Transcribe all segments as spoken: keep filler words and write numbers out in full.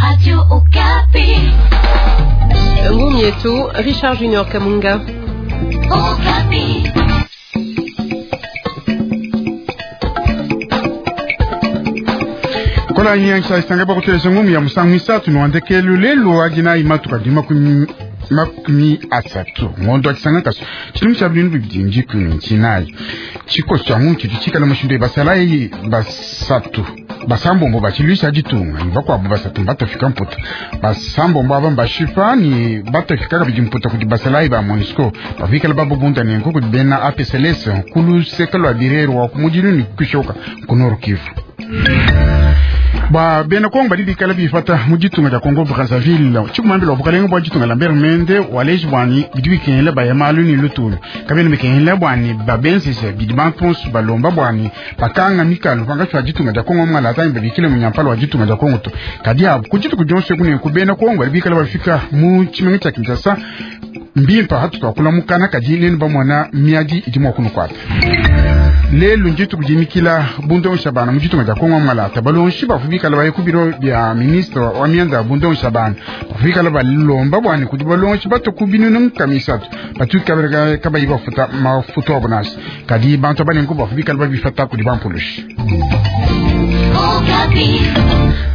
Radio Okapi. Ngumi yetu Richard Junior Kamunga. Okapi. Kola nyancha isanga bakuteleza ngumi ya musangu isatu nwandekelu lelo agina imatuka dima kumi makumi asatu ngondo akisanga kaso chilimu cha bintu bibidi njikumi nchinayi chikosi cha muntu chikala mushindu basalayi basatu basambombo bachiluisha ditunga ni bakwabo basatu batafika mputa basambombo aba mbashipa ni batafika kabidi mputa kudi basalayi ba MONUSCO bavikala babubunda nenko kudi bena A P C L S kuluseka lwa birero wa kumudilu ni kushoka ku Nord Kivu. Ba bena Kongo badi bikala bifata mu ditunga dia Congo Brazzaville tshikumambila bukalenga bwa ditunga Lambert Mende waleji bwani bidi bikengela baya malu ni lutulu kabena bikengela bwani babenzesha bidi bantu balomba bwani bakanga mikalo pangatshi wa ditunga dia Kongo mwala atangi babikile munyampala wa ditunga dia Kongo to kadi abu kudituku dionso kune ku bena Kongo badi bikala bafika mu tshimenga tshia Kinshasa mbimpa hatu twakula mukana kadi nenu bamona miadi idi mua kunukuata lelu ndituku dimikila bundongisha bana mu ditunga dia Kongo mwalata balonshi bavu bikala baye ku biro bya ministre wa mianda ya bundongisha bana bavu bikala balomba bwani kudi balonshi bato ku binunu nkama isatu batu kabayi bafuta mafuta abo nasi kadi bantu abanenku bavu bikala babifata kudi bampulushi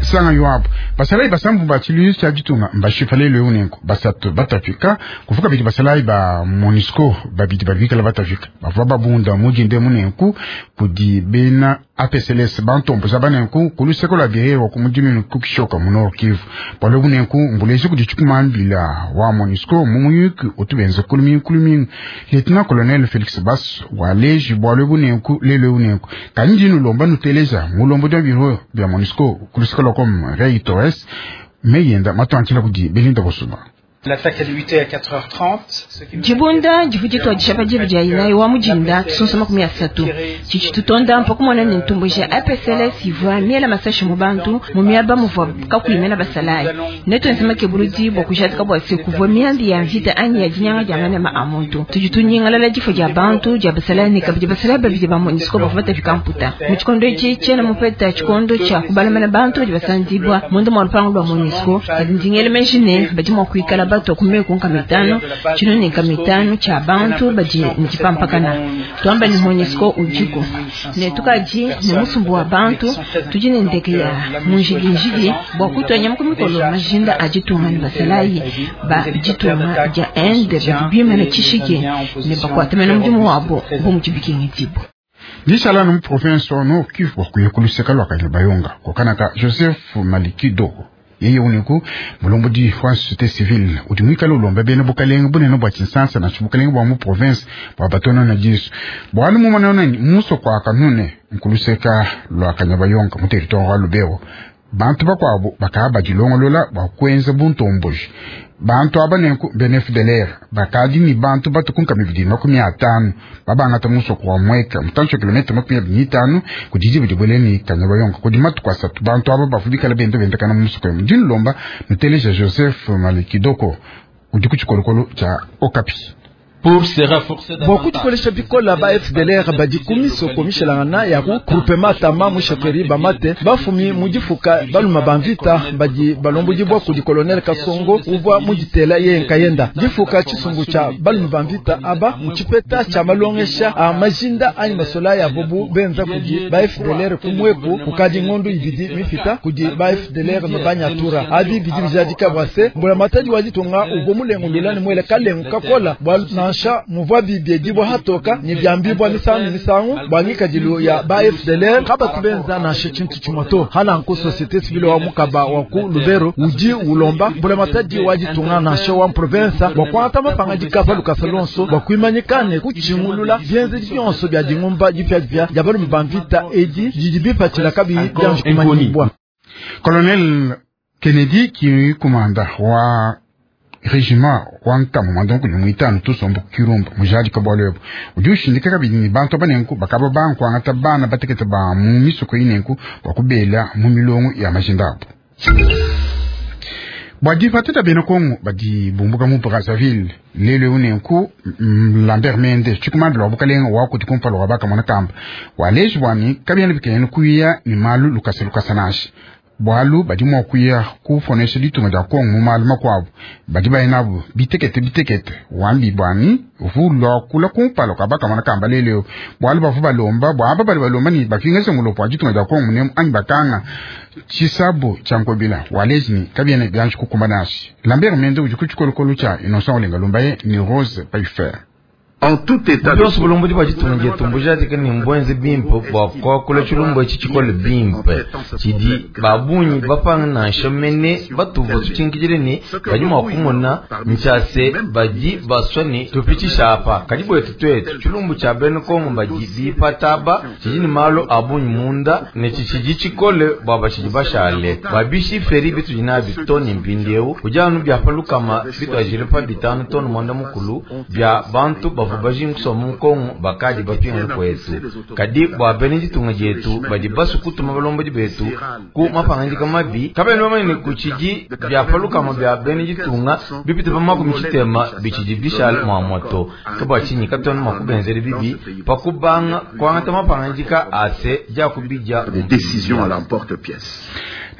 sanga yoabu basalayi basambu ba tshiluizi tshia ditunga mbashipa lelo eu nenku basatu batafika kufuka bidi basalayi ba MONUSCO babidi babikala batafika bavua babunda mudinde munenku kudi bena A P C L S bantomboza banenku kuluseko lwa birerwa ku mudiminu kukishoka mu Nord Kivu bwalo bunenku mbulezi kudi tshikumambila wa MONUSCO mu muyuki otubenza kulumingu kulumingu Lieutenant Colonel Felix Bass waleji bwalo bunenku lelo eu nenku kandi nulomba nuteleza mulombo dia biro bya MONUSCO kuluseko lwa kom Rey Torres meyenda matwantila kudi Belinda Bosuma. L'attaque a débuté à quatre heures trente. Jibunda jivuji twa dishapa jivu dia inayi wa mujinda tusonso makumi asatu chichi tutonda mpaka mwana ni ntumbo ja A P C L S ivua miela masashi mu bantu mu miaba muvua kakuimena basalayi neto nsema ke buludi bwa kujatika bwa se kuvua miambi ya mvita anyi ya dinyanga dia manema a muntu tudi tunyingalala difo dia bantu dia basalayi ne kabidi basalayi babidi ba MONUSCO bavua batafika mputa mu tshikondo etshi tshiena mupeta tshikondo tshia kubalamana bantu badi basandibwa munda mwa lupangu lwa MONUSCO kadi ndingele meji ne badi mua kuikala bato kumeku nka mitano chino ni nka mitano cha bantu badi njipampakana twamba ni MONUSCO ujiko ne tukaji ne musumbu wa bantu tudi ne ndeke ya munjidinjidi bwa kutwanya mukumikolo majinda ajitunga ni basalayi ba jitunga ja ende badi bimene chishike ne bakwatamena mudimu wabo bo muchibikingidibo Dishala no province wa Nord Kivu bwa kuyekuluseka lwa Kanyabayonga kokanaka Joseph Malikido yeye uniku mulombodi wa société civile udi mwikala ulomba bena bukalenga bunene bwa Kinshasa na bukalenga bwa mu province bwa batona na Jesu bwanu mu manona muso kwa kanune nkuluseka lwa Kanyabayonga mu territoire wa Lubero bantu bakwabo bakaba dilongolola bwa kwenza buntomboji bantu aba nenku bene F D L R bakadi ni bantu batukunka mibidi makumi atano babangata musoko wa mweka mutancho kilomita makumi abiri n'itanu kudidi bidi bweleni Kanyabayonga kudi matuku asatu bantu aba bafubikala bendo bendekana musoko ya mudini lomba nuteleja Joseph Malikidoko udi ku tshikolokolo tshia Okapi. Bwa kutikolesha bikola ba F D L R badi kumiso komishelangana ya ku groupement tama mushekeri bamate bafumi mudifuka baluma bamvita badi balombodi bwa kudi colonel Kasongo uvwa muditela ye nkayenda difuka chisungu cha baluma bamvita aba muchipeta cha malongesha a majinda anyi masola ya bobu benza kudi ba F D L R kumweku kukadi ngondo ibidi mifita kudi ba F D L R mabanyatura abi bidi bijadika bwase mbola matadi wajitonga ubwo mulengo lulani mwele kalengo kakola bwa na sha muvwa bibye dibwa hatoka ni byambibwa misangu misangu bwangika dilu ya ba F D L R kaba tubenza na shechintu chimoto hala nko société civile wa mukaba wa ku Lubero uji ulomba mbula matadi wajitunga na sho wa province bwa kwata mapanga dikapa lukasa lonso bwa kuimanyikane kuchingulula byenze byonso bya dingumba dipya dipya yabalu mbamvita edi jidibipatila kabi byanjkumanyibwa Colonel Kennedy ki kumanda wa régiment wa nkama mandongo ni mwitano tusombo kirumba mujali kabwalwebo udi ushindika kabidi ni bantu abanenku bakaba bankwangata bana batekete ba mu misoko inenku bakubela mu milongo ya majindabo bwa difateta bena Kongo badi bumbuka mu Brazzaville lelo unenku Lambert Mende tshikumambila wa bukalenga wa kuti kumpala wa bakamona kamba waleji bwani kabyana bikene kuya ni malu lukasa lukasa nashi Bwalu badi mwa kuya kufonesha ditunga dia Kongo mu malu makuabu badi bayenabu bitekete bitekete wambi bwani vulwa kula kumpala kabaka kamba leleo bwalu bavu balomba bwaba bali balomba ni bafinga mulopo wa ditunga dia Kongo munemu anyi bakanga chisabu cha Nkobila walezi kabiene byanji kukumba nasi Lambert Mende udi ku tshikolokolo tshia Innocent Olenga Lumbaye ni Rose Paifer. En tout état de bulombo di bajitunga dietu mbujadika ni mbwenze bimpe bua kuakula tshilumbu etshi tshikole bimpe tshidi babunyi bapanga nansha mene batuva tutshinkidile ni badi mua kumona ntshiase badi baswa ni tupitshisha apa kadi bwetu twetu tshilumbu tshia bena Kongo badi bipataba tshidi ni malu abunyi munda ne tshitshidi tshikole bua batshidi bashale babishi feri bitudi nabi toni mpindieu kudi anu bia palukama bituajile pa bitanu toni mwanda mukulu bia bantu bavu bajinga kusoma Mukongo bakadi bapinga kwetu kadi bua bena ditunga dietu badi basu kutuma balombodi betu ku mapangandika mabi kabena bamanye kutshidi bia palukama bia bena ditunga bipite pa makumi tshitema bitshidi bishale mua moto ke bua tshinyi katuena mua kubenzela bibi pa kubanga kuangata mapangandika ase dia kubidia des décisions à l'emporte-pièce.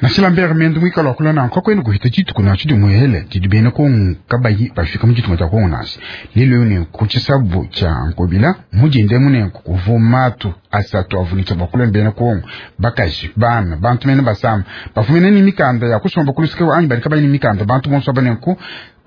Nasila Lambert Mende mwikalo akula na nkoko enu kuhita chituku na chidi muhele chidi bene kongu kabayi bafika muchitunga cha Kongo nasi lelo ne kuchisabu cha Nkobila mujinde mune kuvumatu asatu avunitsa bakula bene kongu bakaji bana bantu mene basama bafumene ni mikanda ya kusomba kulusike anyi bali kabayi ni mikanda bantu bonso banenku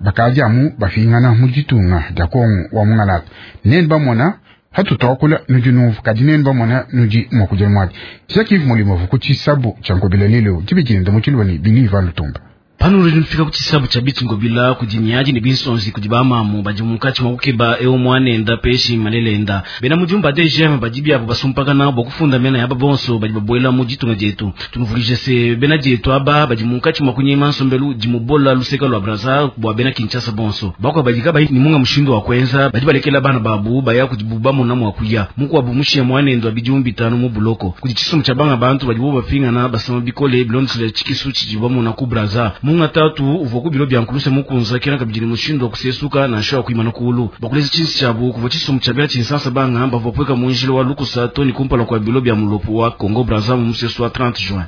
bakaji amu bafingana muchitunga cha Kongo wa mungalata neni bamona hatutokula nudi nuvu kadi neni bamona nudi mwakuja mwadi Jacques Mulimo kuchisabu cha Nkobila lelo chibijinda muchilwa ni biliva lutumba pano uli nfika kuchisabu cha bitu Ngobila kudinyaji ni binsonzi kudi bamamu badi munkatshi mwa kukeba eu mwanenda peshi malelenda bena mujumba D G M badi biabo basumpakana bua kufunda mena yaba bonso badi babuela mu ditunga dietu tunuvulije se bena dietu aba badi munkatshi mwa kunyema nsombelu dimubola luseka lua Brazza bua bena Kinshasa bonso bakwa badi kabayi ni munga mushindu wa kwenza badi balekela bana babu baya kudibuba mona mwa kuya mukuabu mushiya mwanendo abidi bitano mu buloko kudi chisumu cha banga bantu badi bo bapingana basama bikole bilondesela chikisu chidibamona ku Brazza munga tatu uvua ku bilo bya nkuluse mukunza kena kabidi mushindu wa kusesuka na nsho kuimana kulu bakuleza chinsi chabu kuva chisumu cha bena chinsansa banga bavua pweka munjilo wa lukusa toni kumpala kwa bilo bya mulopo wa Congo Brazza mu musesu wa trente juin.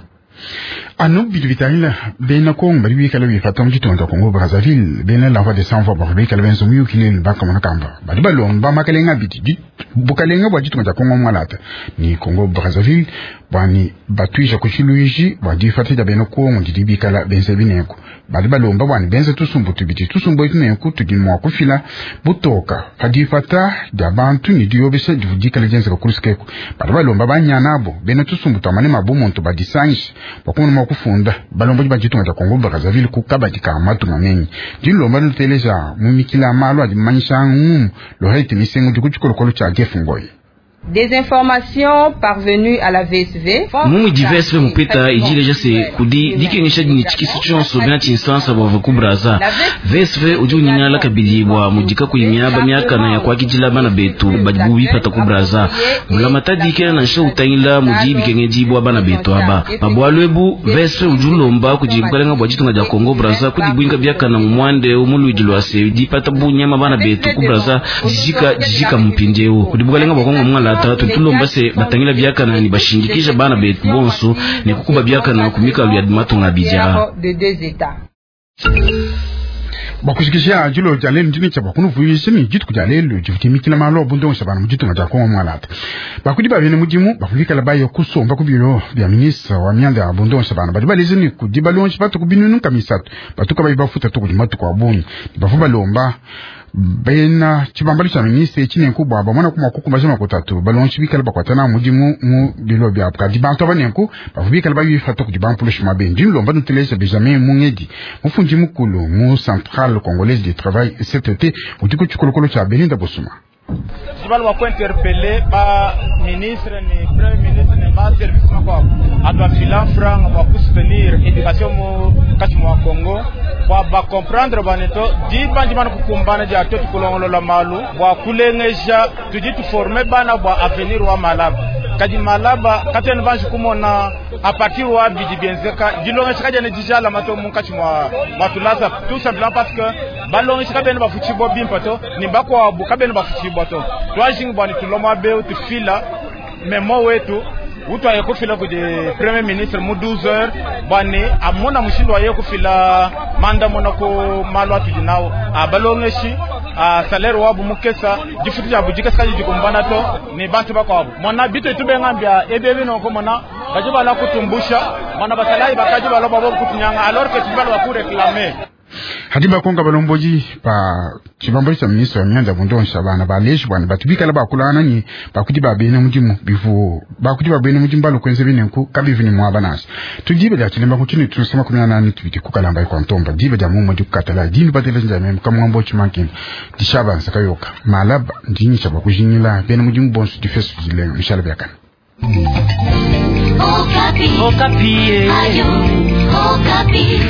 Anu bidu bitangila bena Kongo bali bikala bifata mu ditunga Congo Brazzaville bena la voix de sans voix bali bikala benzo muyukile bakamona kamba bali balomba makalenga biti bukalenga bwa ditunga dia Kongo mwalata ni Congo Brazzaville bwani batwisha kuchiluiji bwa difata dia bena Kongo didi bikala benze bineko bali balomba bwani benze tusumbu tubiti tusumbu ituneko tudi mwa kufila butoka padifata dia bantu ni diobesa divudikala dienzeka kulusikeko bali balomba banyana abo bena tusumbu tamane mabumuntu badisangisha bakumuna mwa kufunda balomba ba ditunga dia Congo Brazzaville kukabadi ka matunga menyi dilomba luteleja mumikila malu adi manyisha ngumu lohete misengo dikutshikolokolo tshia Jeff Ngoyi. Des informations parvenues à la V S V. Mumu di V S V mupeta ijileja se kudi dikengesha dini chikisu chonso bena chinsansa bwa ku Brazza. V S V udi unyingala kabidi bwa mudika kuimyaba myaka na ya kwakijila bana betu badi bipata ku Brazza. Mulamata dikena na nsha utangila mudi bikengeji bwa bana betu aba. Babwalwebu V S V udi ulomba kudi bukalenga bwa ditunga dia Congo Brazza kudi bwinga byaka na mwande umuluidi lwa se dipata bunyama bana betu ku Brazza jijika jijika mpindeu. Kudi bukalenga bwa Kongo mwala tatu tulomba se batangila byakana ni bashindikisha bana betu bonso ne kukuba byakana kumika lya matunga bija bakushikisha jilo ja lelo ndini cha bakunuvuyisa ni dituku dia lelo divutimikila malo bundongo bana muditunga dia Kongo mwalata bakudi babene mudimu bakuvikala bayo kusomba ku bilo bya ministre wa mianda ya bundongo bana badi baleze ni kudi balonji batuku binunu kamisatu batuka bayi bafuta tuku matuku abunyi bafu balomba bena chibambalo cha ministre chine kubwa bamona kuma kukumba jama kutatu balonji bikala bakwatana mudimu mu bilo bya kadi bantu abanenku bavubikala bayifata kudi bampulushi mabendi lomba nuteleza Benjamin Mungedi mufundi mukulu mu Centrale Congolaise du Travail C T T udi ku tshikolokolo tshia Belinda Bosuma. Jibal wa interpeller ba ministre ni premier ministre ni ba service makwa atwa filan franc wa soutenir éducation mu kati mwa Congo wa ba comprendre baneto di bandi bana kukumbana ja to tukulongolola malu wa kulengeja tudi tu former bana bwa avenir wa malaba kadi malaba katene banji kumona a partir wa bidi bienzeka dilongesha kaja ne dijala mato munkati mwa matulasa tout simplement parce que balongesha kabene bafuchibwa bimpa to ni bakwa bu kabene bafuchibwa to twajing bwani tuloma be tufila memo wetu Utwaye kufila kudi premier ministre mu douze heures bwane amona mushindu waye kufila manda mona ku malu atudi nawo abalongeshi a salaire wabu mukesa difutu jabu dikesa dikumbana to ni bantu bakwabo mona bitu tubengambya ebebe noko mona badi bala kutumbusha mona basalayi bakaji bala babo kutunyanga alors que tubala bakuréclamer. Hadi bakonga balomboji ba chibambo cha ministre wa mianda bundonsha bana baleshi bwana batubikala bakulana ni bakudi babene mudimu bivu bakudi babene mudimu balukwenze binenku kabivu ni mwaba nasi tujibe lya chilemba kuchini tunasema kumi na nane tubiti kukalamba kwa ntomba dibe lya mumo dikukatala dinu batele njame kamwambo chimankini dishaba nsakayoka malaba ndinyi cha bakujinyila bene mudimu bonso difesu dilenga mishala byakana. Okapi. Okapi. Ayo, Okapi.